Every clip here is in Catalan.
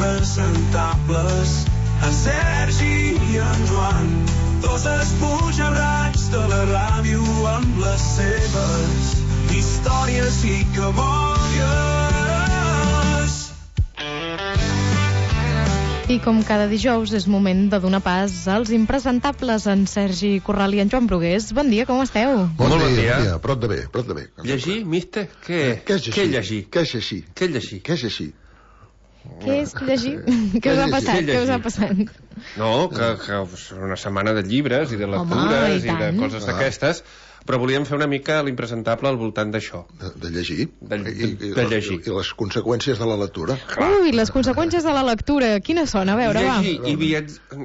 impresentables, en Sergi i en Joan, dos espujarrats de la ràdio amb les seves històries i cabòries. I com cada dijous és moment de donar pas als impresentables, en Sergi Corral i en Joan Brugués. Bon dia, com esteu? Bon dia. Prou de bé. Llegir, mister? Què és llegir? Què és així? Què és llegir? Què us ha passat? No, que és una setmana de llibres i de lectures i de coses d'aquestes, però volíem fer una mica l'impresentable al voltant d'això. De llegir. De llegir. I les conseqüències de la lectura. Ui, les conseqüències de la lectura. Quines són? A veure, va. Llegir i viatjar...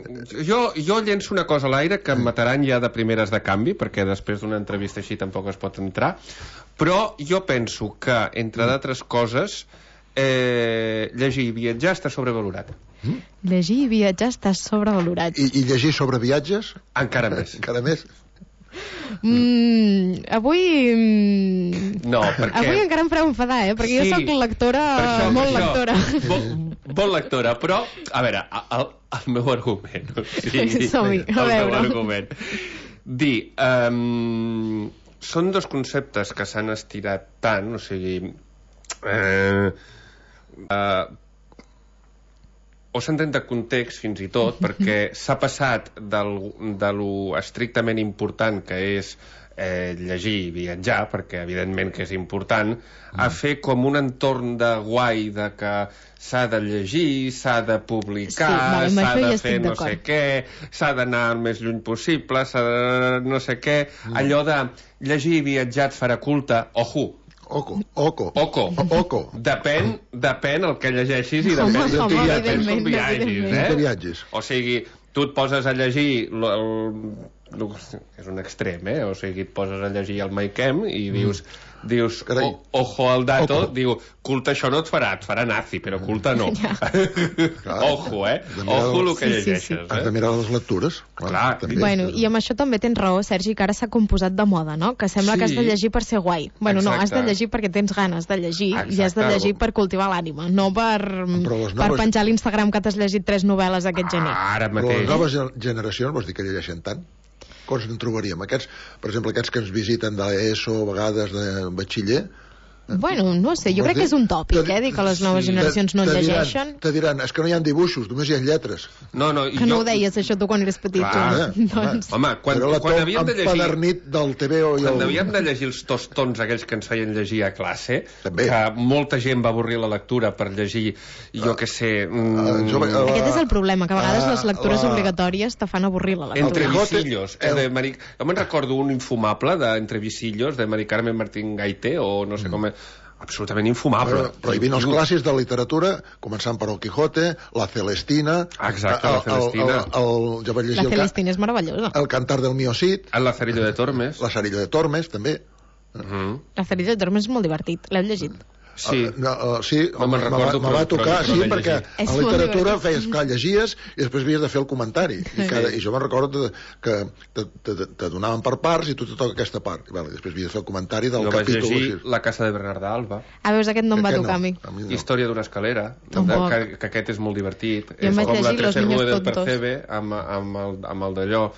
Jo llenço una cosa a l'aire que em mataran ja de primeres de canvi, perquè després d'una entrevista així tampoc es pot entrar, però jo penso que, entre d'altres coses, llegir i viatjar està sobrevalorat. Llegir i viatjar està sobrevalorat. I llegir sobre viatges? Encara més. Encara més? Avui... No, perquè... Avui encara em fareu enfadar, perquè jo soc lectora, molt lectora. Molt lectora, però, a veure, el meu argument... Som-hi, a veure. El meu argument. Són dos conceptes que s'han estirat tant, o sigui... o s'entén de context fins i tot, perquè s'ha passat de lo estrictament important que és llegir i viatjar, perquè evidentment que és important, a fer com un entorn de guai, de que s'ha de llegir, s'ha de publicar, s'ha de fer no sé què, s'ha d'anar el més lluny possible, s'ha de no sé què, allò de llegir i viatjar et farà culte, ojo. Oco. Depèn el que llegeixis i depèn del que viatgis, O sigui, tu et poses a llegir és un extrem, o sigui, et poses a llegir el Maikem i dius ojo al dato, diu, culte això no et farà nazi, però culte no. Ojo, ojo el que llegeixes. Has de mirar les lectures. Clar. Bueno, i amb això també tens raó, Sergi, que ara s'ha composat de moda, no? Que sembla que has de llegir per ser guai. Bueno, no, has de llegir perquè tens ganes de llegir i has de llegir per cultivar l'ànima, no per penjar a l'Instagram que t'has llegit 3 novel·les aquest gener. Ara mateix. Les noves generacions, vols dir que llegeixen tant? Coses en trobaríem. Per exemple, aquests que ens visiten d'ESO, a vegades de batxiller... Bueno, no sé, jo crec que és un tòpic, dir que les noves generacions no llegeixen. Te diran, és que no hi ha dibuixos, només hi ha lletres. Que no ho deies, això, tu, quan eres petit. Home, quan havíem de llegir... Empedernit del TVO i quan havíem de llegir els tostons aquells que ens feien llegir a classe, que molta gent va avorrir la lectura per llegir, jo què sé... Aquest és el problema, que a vegades les lectures obligatòries te fan avorrir la lectura. Entrevisillos. Jo me'n recordo un infumable d'Entrevisillos, de Mari Carmen Martín Gaité, o no sé com... absolutament infumable. Prohibint els clàssics de literatura, començant per el Quijote, la Celestina... Exacte, la Celestina. La Celestina és meravellosa. El Cantar del Mío Cid. El Lazarillo de Tormes. Lazarillo de Tormes, també. Lazarillo de Tormes és molt divertit, l'heu llegit? Sí, me va tocar, perquè a la literatura feies, clar, llegies i després havies de fer el comentari i jo me'n recordo que te donaven per parts i tu te toca aquesta part i després havies de fer el comentari del capítol. Jo vaig llegir La casa de Bernarda Alba. Veus, aquest no em va tocar a mi. Història d'una escalera, que aquest és molt divertit. Jo em vaig llegir Los Niños del Percebe amb el d'allò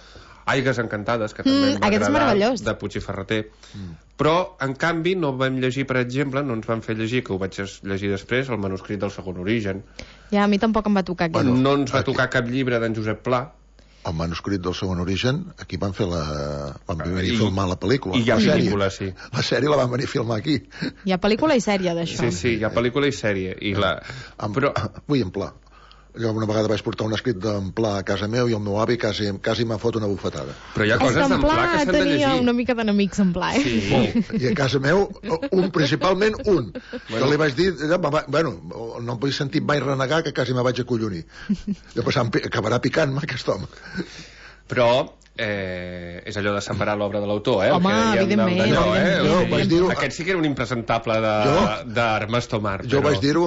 Aigues encantades, que també em va agradar, de Puig i Ferreter. Però, en canvi, no vam llegir, per exemple, no ens van fer llegir, que ho vaig llegir després, el manuscrit del Segon Origen. Ja, a mi tampoc em va tocar aquest. No ens va tocar cap llibre d'en Josep Pla. El manuscrit del Segon Origen, aquí van venir a filmar la pel·lícula. I hi ha pel·lícula, sí. La sèrie la van venir a filmar aquí. Hi ha pel·lícula i sèrie, d'això. Sí, hi ha pel·lícula i sèrie. Vull en Pla. Jo una vegada vaig portar un escrit d'en Pla a casa meu i el meu avi quasi m'ha fot una bufetada. Però hi ha coses d'en Pla que s'han de llegir. Tenia una mica d'enemics en Pla, I a casa meu, principalment un. Que li vaig dir, bueno, no em vull sentir mai renegar que quasi me vaig acollonir. Després acabarà picant-me aquest home. Però és allò de separar l'obra de l'autor, Home, evidentment. Aquest sí que era un impresentable d'Armes Tomar. Jo vaig dir-ho,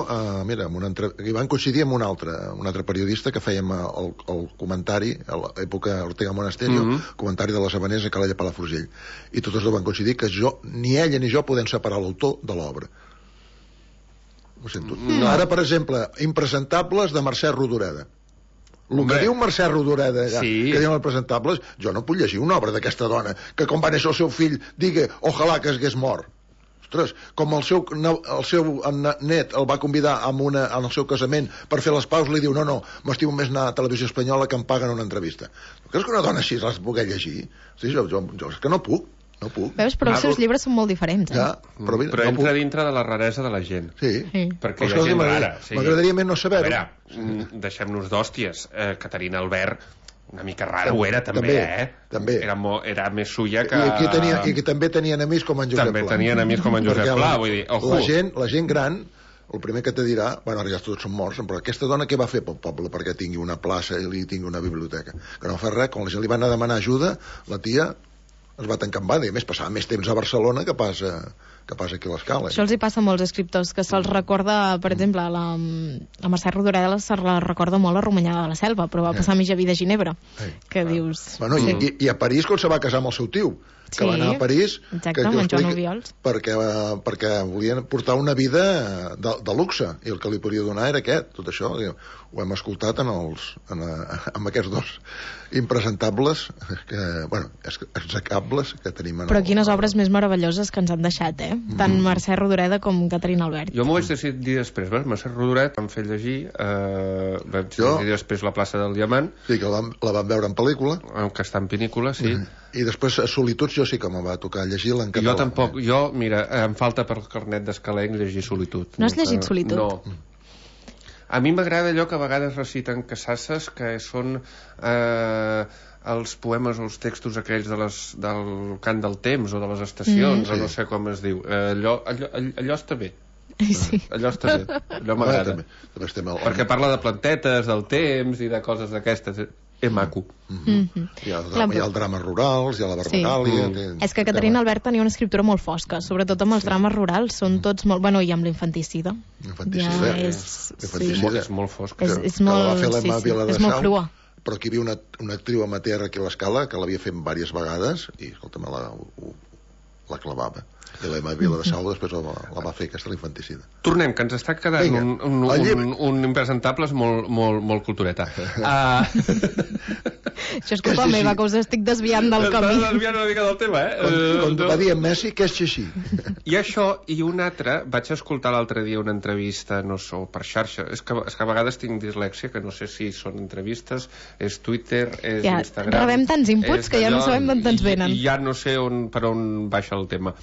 mira, hi van coincidir amb un altre periodista que fèiem el comentari a l'època Ortega Monasterio, comentari de les Habaneres a Calella Palafrugell, i tots dos van coincidir que ni ella ni jo podem separar l'autor de l'obra. Ho sento. Ara, per exemple, Impresentables de Mercè Rodoreda. El que diu Mercè Rodoreda, que diuen els presentables, jo no puc llegir una obra d'aquesta dona que quan va néixer el seu fill digui ojalà que hagués mort. Ostres, com el seu net el va convidar en el seu casament per fer les paus, li diu no, m'estimo més anar a Televisió Espanyola que em paguen una entrevista. Creus que una dona així les pugui llegir? Sí, jo és que no puc. Veus, però els seus llibres són molt diferents, Ja, però entra dintre de la raresa de la gent. Sí. Perquè hi ha gent rara. M'agradaria més no saber-ho. A veure, deixem-nos d'hòsties. Caterina Albert, una mica rara ho era, també. També. Era més suya que... I que també tenien amics com en Josep Pla. També tenien amics com en Josep Pla, vull dir, ojo. La gent gran, el primer que te dirà, bueno, ara ja tots són morts, però aquesta dona què va fer pel poble perquè tingui una plaça i tingui una biblioteca? Que no fa res, quan la gent li va anar a demanar ajuda, la tia es va tancar en banda, i a més passava més temps a Barcelona que passa aquí a l'Escala. Això els hi passa a molts escriptors, que se'ls recorda, per exemple, a Mercè Rodoreda se la recorda molt a Romanyà de la Selva, però va passar mitja vida a Ginebra, que dius... Bueno, i a París, quan se va casar amb el seu tio, que va anar a París... Exacte, amb en Joan Obiols. Perquè volien portar una vida de luxe, i el que li podia donar era aquest, tot això. Ho hem escoltat amb aquests dos impresentables, execables que tenim. Però quines obres més meravelloses que ens han deixat, tant Mercè Rodoreda com Caterina Albert. Jo m'ho vaig decidir després, Mercè Rodoreda em fer llegir, vaig decidir després La plaça del Diamant. Sí, que la vam veure en pel·lícula. Que està en pel·lícula, sí. I després Solituds jo sí que me va tocar llegir-la en català. Jo tampoc, mira, em falta per carnet d'escalenc llegir Solitud. No has llegit Solitud? No. A mi m'agrada allò que a vegades reciten Casasses, que són els poemes o els textos aquells del cant del temps o de les estacions, o no sé com es diu. Allò està bé. Sí. Allò està bé, allò m'agrada. Perquè parla de plantetes, del temps i de coses d'aquestes. És maco. Hi ha el drama rurals, hi ha la Barbacàlia... És que Caterina Albert tenia una escriptura molt fosca, sobretot amb els drames rurals, són tots molt... Bueno, i amb l'infanticida. L'infanticida és molt fosca. És molt crua. Però aquí hi havia una actriu amateur aquí a l'Escala que l'havia fet diverses vegades i, escolta'm, la clavava. I l'Emma Vila de Sau després la va fer aquesta l'infanticida. Tornem, que ens està quedant un impresentables molt cultureta. Això és culpa meva, que us estic desviant del camí. Estàs desviant una mica del tema, Quan va dir en Messi, que és així. I això, i un altre, vaig escoltar l'altre dia una entrevista, no sé, per xarxa, és que a vegades tinc dislèxia, que no sé si són entrevistes, és Twitter, és Instagram... Rebem tants inputs que ja no sabem d'on ens venen. I ja no sé per on baixa el tema.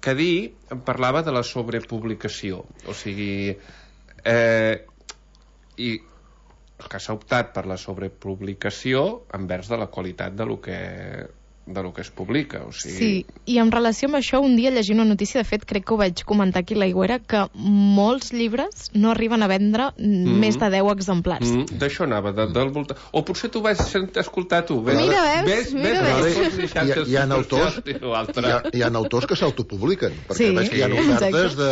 Que em parlava de la sobrepublicació, o sigui, i que s'ha optat per la sobrepublicació envers de la qualitat de lo que es publica, o sigui... Sí, i en relació amb això, un dia llegint una notícia, de fet, crec que ho vaig comentar aquí a l'Aigüera, que molts llibres no arriben a vendre més de 10 exemplars. D'això anava, del voltant... O potser tu vas escoltar tu. Mira, ves. Hi ha autors que s'autopubliquen, perquè veig que hi ha ofertes de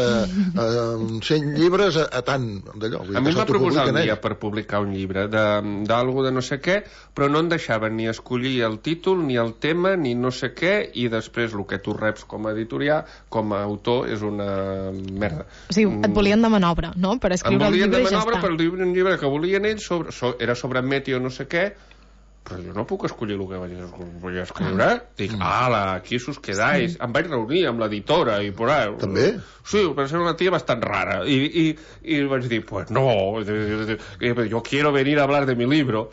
100 llibres a tant d'allò. A mi em va proposar un dia per publicar un llibre d'algú de no sé què, però no en deixaven ni escollir el títol, ni el tema, ni no sé què, i després el que tu reps com a editorial, com a autor, és una merda. O sigui, et volien demanar obra, no?, per escriure el llibre i ja està. Em volien demanar obra per un llibre que volien ells, era sobre meteo no sé què, però jo no puc escollir el que vaig escriure. Dic, aquí us quedáis. Em vaig reunir amb l'editora i por ahí. També? Sí, però ser una tia bastant rara. I vaig dir, pues no, yo quiero venir a hablar de mi libro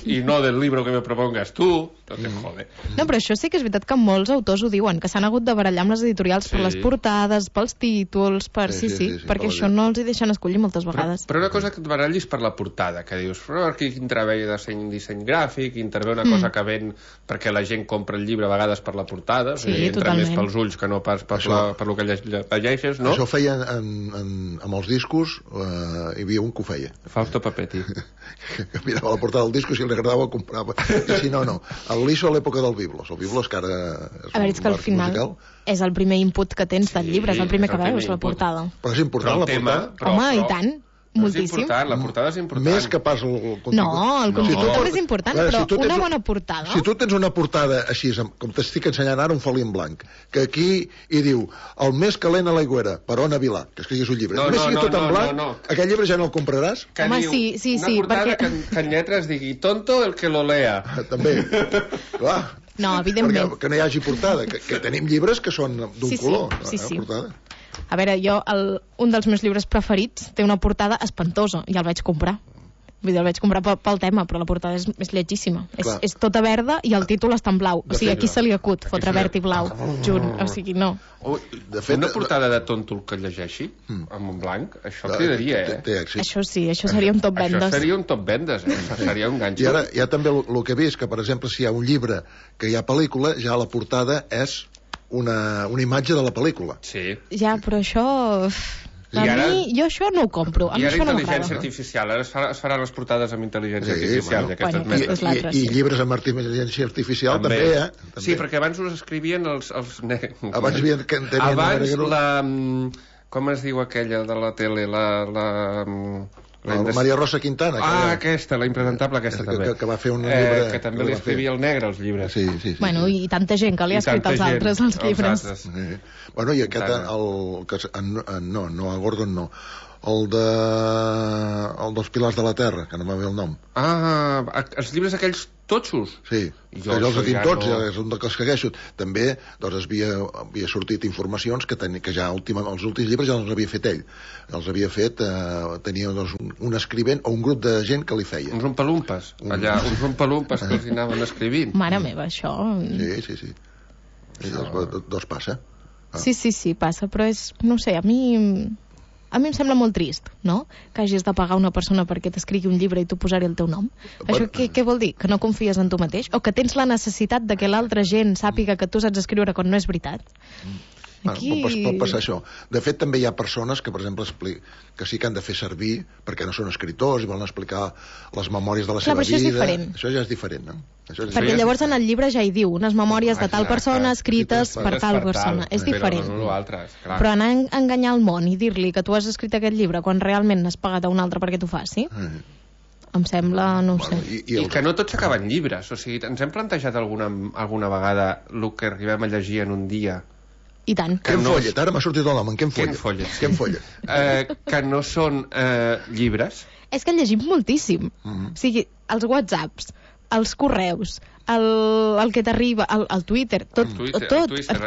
y no del libro que me propongas tú. No te jode. No, però això sí que és veritat que molts autors ho diuen, que s'han hagut de barallar amb les editorials per les portades, pels títols, perquè això no els hi deixen escollir moltes vegades. Però una cosa que et barallis per la portada, que dius, però aquí intervé disseny gràfic, intervé una cosa que ven perquè la gent compra el llibre a vegades per la portada, entra més pels ulls que no pas per lo que llegeixes, no? Això ho feien amb els discos, hi havia un que ho feia. Fausto Papetti. Que mirava la portada del disco, si li agradava el comprava, i si no, no. El Liso a l'època del Biblos. El Biblos, que ara és un que al final musical, és el primer input que tens del llibre, és el primer que veus, la portada. Però és important la portada. Home, i tant. moltíssim. La portada és important. Més que pas el contingut. No, el contingut també és important, però una bona portada... Si tu tens una portada així, com t'estic ensenyant ara, un foli en blanc, que aquí hi diu el més calent a l'aigüera, per Ona Vilà, que escriguis un llibre. Només sigui tot en blanc, aquell llibre ja no el compraràs? Home, sí, una portada que en lletres digui tonto el que lo lea. També, clar. No, evidentment. Que no hi hagi portada, que tenim llibres que són d'un color. Sí. Portada. A veure, un dels meus llibres preferits té una portada espantosa i el vaig comprar. Vull dir, el vaig comprar pel tema, però la portada és lletgíssima. És tota verda i el títol està en blau. O sigui, aquí se li acut fotre verd i blau junt. O sigui, no. De fet, una portada de tonto que llegeixi, amb un blanc, això cridaria, Això sí, això seria un top vendes. Això seria un top vendes, això seria un ganxo. I ara hi ha també el que he vist, que per exemple, si hi ha un llibre que hi ha pel·lícula, ja la portada és una imatge de la pel·lícula. Sí. Ja, però això... jo això no ho compro. I ara intel·ligència artificial. Ara es faran les portades amb intel·ligència artificial. I llibres amb intel·ligència artificial també, Sí, perquè abans us escrivien els... Abans la... Com es diu aquella de la tele? La Maria Rosa Quintana. Aquesta, la impresentable aquesta també. Que va fer un llibre... Que també li escrivia el negre, els llibres. Sí. Bueno, i tanta gent que li ha escrit als altres, els llibres. Bueno, i aquest... No, a Gordon no. El dels Pilars de la Terra, que no m'ha ve el nom. Els llibres aquells totxos? Sí, jo els he dit tots, és un dels que segueixo. També havia sortit informacions que ja els últims llibres ja els havia fet ell. Els havia fet, tenia un escrivent o un grup de gent que li feia. Uns rompalumpes, allà, uns rompalumpes que els anaven escrivint. Mare meva, això... Sí. Doncs passa. Sí, passa, però és... No sé, a mi em sembla molt trist, no? Que hagis de pagar una persona perquè t'escrigui un llibre i tu posar-hi el teu nom. Això què vol dir? Que no confies en tu mateix? O que tens la necessitat de que l'altra gent sàpiga que tu saps escriure quan no és veritat? Aquí... Pot passar això. De fet, també hi ha persones que, per exemple, que sí que han de fer servir perquè no són escritors i volen explicar les memòries de la seva vida. Això és diferent. Això ja és diferent, no? Perquè llavors en el llibre ja hi diu unes memòries de tal persona escrites per tal persona. És diferent. Però anar a enganyar el món i dir-li que tu has escrit aquest llibre quan realment n'has pagat a un altre perquè t'ho faci, em sembla, no ho sé. I que no tots s'acaben llibres. O sigui, ens hem plantejat alguna vegada el que arribem a llegir en un dia? I tant. Quin follet? Ara m'ha sortit el nom. Quin follet? Que no són llibres. És que llegim moltíssim. O sigui, els whatsapps, els correus, el que t'arriba, el Twitter, tot.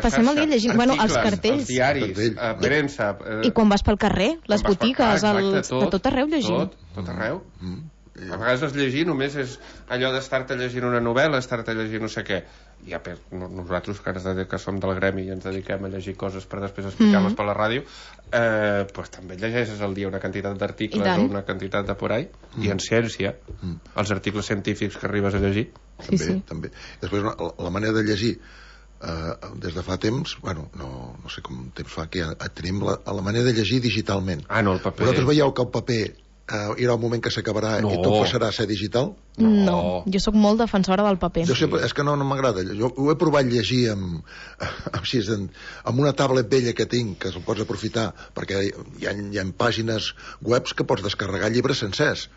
Passem el dia llegint. Bueno, els cartells. Els diaris, premsa... I quan vas pel carrer, les botigues, de tot arreu llegim. Tot arreu. A vegades es llegir només és allò d'estar-te llegint una novel·la, estar-te llegint no sé què. I nosaltres, que som del gremi i ens dediquem a llegir coses per després explicar-les per la ràdio, doncs també llegeixes al dia una quantitat d'articles o una quantitat de por ahí. I en ciència, els articles científics que arribes a llegir. També. Després, la manera de llegir des de fa temps, bueno, no sé com temps fa que tenim la manera de llegir digitalment. No, el paper. Vosaltres veieu que el paper hi haurà un moment que s'acabarà i tot passarà a ser digital? No, jo sóc molt defensora del paper. Jo sempre, és que no m'agrada. Jo ho he provat llegir amb una tablet vella que tinc, que se'l pots aprofitar, perquè hi ha pàgines webs que pots descarregar llibres sencers,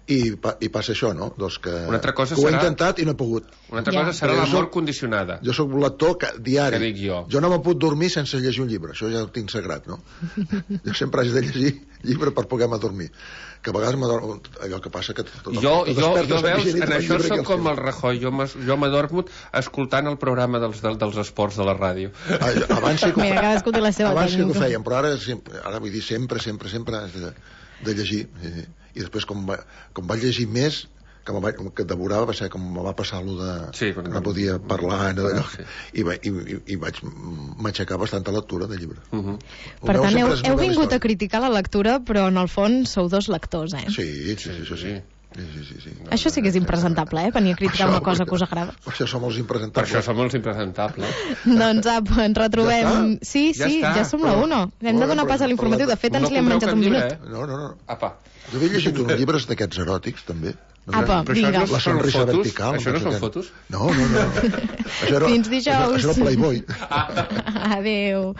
i passa això, no? Doncs que ho he intentat i no he pogut. Una altra cosa serà la mort condicionada. Jo sóc un lector diari. Que dic jo. Jo no me puc dormir sense llegir un llibre. Això ja ho tinc sagrat, no? Jo sempre haig de llegir llibre per poder-me dormir. Que a vegades m'adormo... Allò que passa que... Jo veus, en això soc com el Rajoy. Jo m'adormo escoltant el programa dels esports de la ràdio. Abans sí que ho fèiem, però ara vull dir sempre de llegir. I després, com vaig llegir més, que devorava, va ser com me va passar allò de... Sí, no podia parlar, i vaig m'aixecar bastanta lectura de llibre. Per tant, heu vingut a criticar la lectura, però en el fons sou dos lectors, Sí. Sí. Això sí que és impresentable, venir a criticar una cosa que us agrada. Per això som els impresentables. Doncs ens retrobem. Sí, ja som la 1. Hem de donar pas a l'informatiu. De fet, ens li hem menjat un minut. No. Jo havia llegit uns llibres d'aquests eròtics, també. Apa, vinga. La sonrisa vertical. Això no són fotos? No. Fins dijous. Això era Playboy. Adéu.